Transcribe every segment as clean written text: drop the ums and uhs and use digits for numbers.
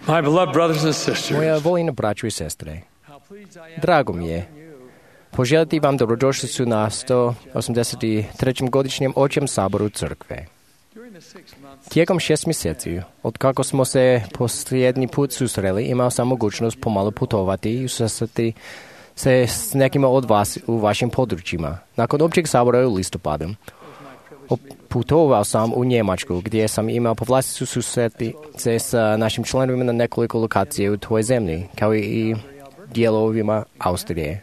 My beloved brothers and sisters, Moja voljena braćo i sestre, drago mi je poželjeti vam dobrodošlicu na 183. godišnjem Očjem saboru crkve. Tijekom 6 mjeseci, od kako smo se posljednji put susreli, imao sam mogućnost pomalo putovati i susresti se s nekima od vas u vašim područjima. Nakon općeg sabora u listopadu, putovao sam u Njemačku, gdje sam imao povlasticu susreti se s našim članovima na nekoliko lokacije u tvojoj zemlji, kao i dijelovima Austrije.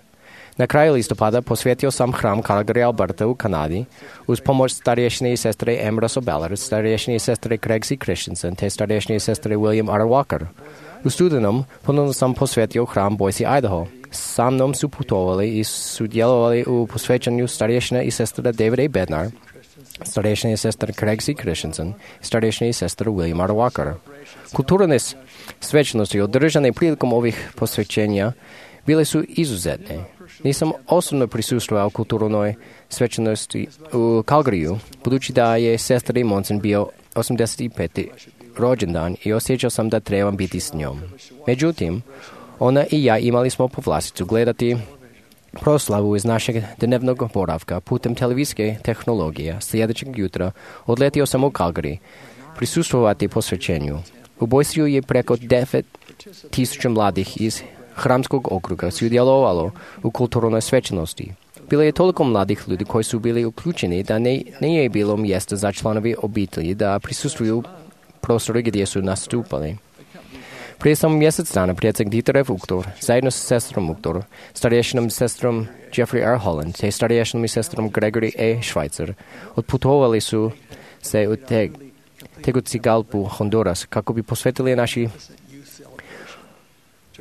Na kraju listopada posvetio sam hram Calgary Alberta u Kanadi uz pomoć starješne sestre Ambrose O'Ballard, starješne sestre Craig C. Christensen te starješne sestre William R. Walker. U studenom ponovno sam posvetio hram Boise, Idaho. Sa mnom su putovali i sudjelovali u posvećanju starješne i sestre David A. Bednar, starješne sestre Craig C. Christensen i starješne sestre William R. Walker. Kulturne svečanosti održane prilikom ovih posvećenja bile su izuzetne. Nisam osobno prisustvovao kulturnoj svečanosti u Calgaryu, budući da je sestri Monson bio 85. rođendan i osjećao sam da trebam biti s njom. Međutim, ona i ja imali smo povlasticu gledati proslavu iz našeg dnevnog boravka putem televizijske tehnologije. Sljedećeg jutra odletio sam u Calgary prisustvovati posvećenju. U Boiseu je preko 9,000 mladih iz hramskog okruga sudjelovalo u kulturnoj svečanosti. Bilo je toliko mladih ljudi koji su bili uključeni da nije bilo mjesta za članovi obitelji da prisustvuju prostoru gdje su nastupali. Prije samo mjesec dana predsjednik Dieter F. Uchtdorf zajedno sa sestrom Uchtdorf, starješinom sestrom Jeffrey R. Holland te starješinom i sestrom Gregory A. Schweitzer otputovali su se u Tegucigalpu, Honduras, kako bi posvetili naši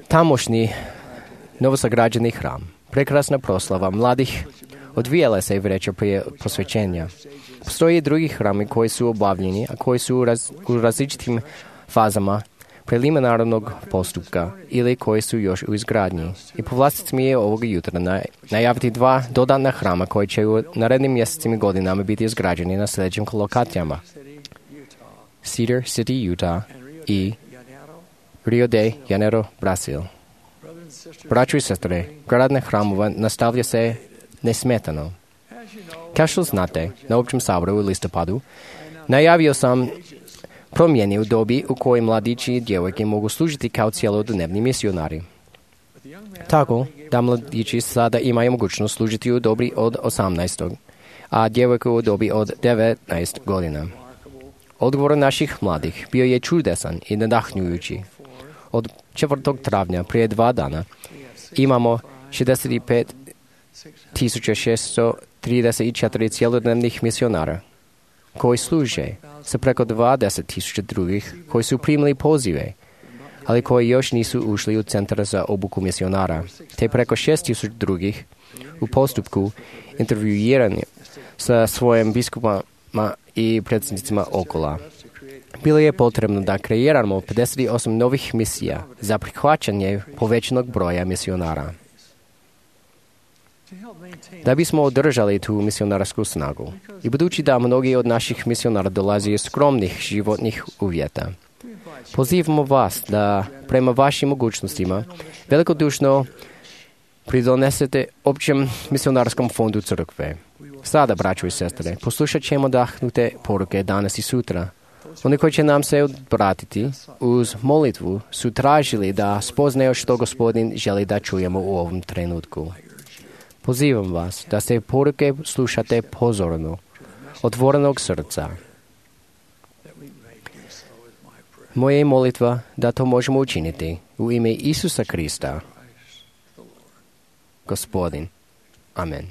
tamošnji novosagrađeni hram. Prekrasna proslava mladih odvijala se vreća prije posvećenja. Postoje i drugi hrami koji su obavljeni, a koji su u različitim fazama preliminarnog postupka ili koji su još u izgradnji. I povlastic mi je ovoga jutra najaviti 2 dodatna hrama koji će u narednim mjesecima i godinama biti izgrađeni na sljedećim lokacijama: Cedar City, Utah i Rio de Janeiro, Brazil. Braćo i sestre, gradnja hramova nastavlja se nesmetano. Kao što znate, na općem saboru u listopadu najavio sam promjene u dobi u kojoj mladići i djevojke mogu služiti kao cjelodnevni misionari. Tako da mladići sada imaju mogućnost služiti u dobi od 18, a djevojke u dobi od 19 godina. Odgovor naših mladih bio je čudesan i nadahnjujući. Od 4. travnja prije 2 dana imamo 65.634 cjelodnevnih misionara koji služe sa preko 20.000 drugih koji su primili pozive, ali koji još nisu ušli u centar za obuku misionara, te preko 6.000 drugih u postupku intervjuiranja sa svojim biskupama i predsjednicima okola. Bilo je potrebno da kreiramo 58 novih misija za prihvaćanje povećanog broja misionara. Da bismo održali tu misionarsku snagu i budući da mnogi od naših misionara dolazi iz skromnih životnih uvjeta, pozivamo vas da prema vašim mogućnostima velikodušno pridonesete općem misionarskom fondu crkve. Sada, braćo i sestre, poslušat ćemo dahnute poruke danas i sutra. Oni koji će nam se obratiti uz molitvu su tražili da spoznaju što Gospodin želi da čujemo u ovom trenutku. Pozivam vas da se poruke slušate pozorno, otvorenog srca. Moja je molitva da to možemo učiniti u ime Isusa Krista, Gospodin. Amen.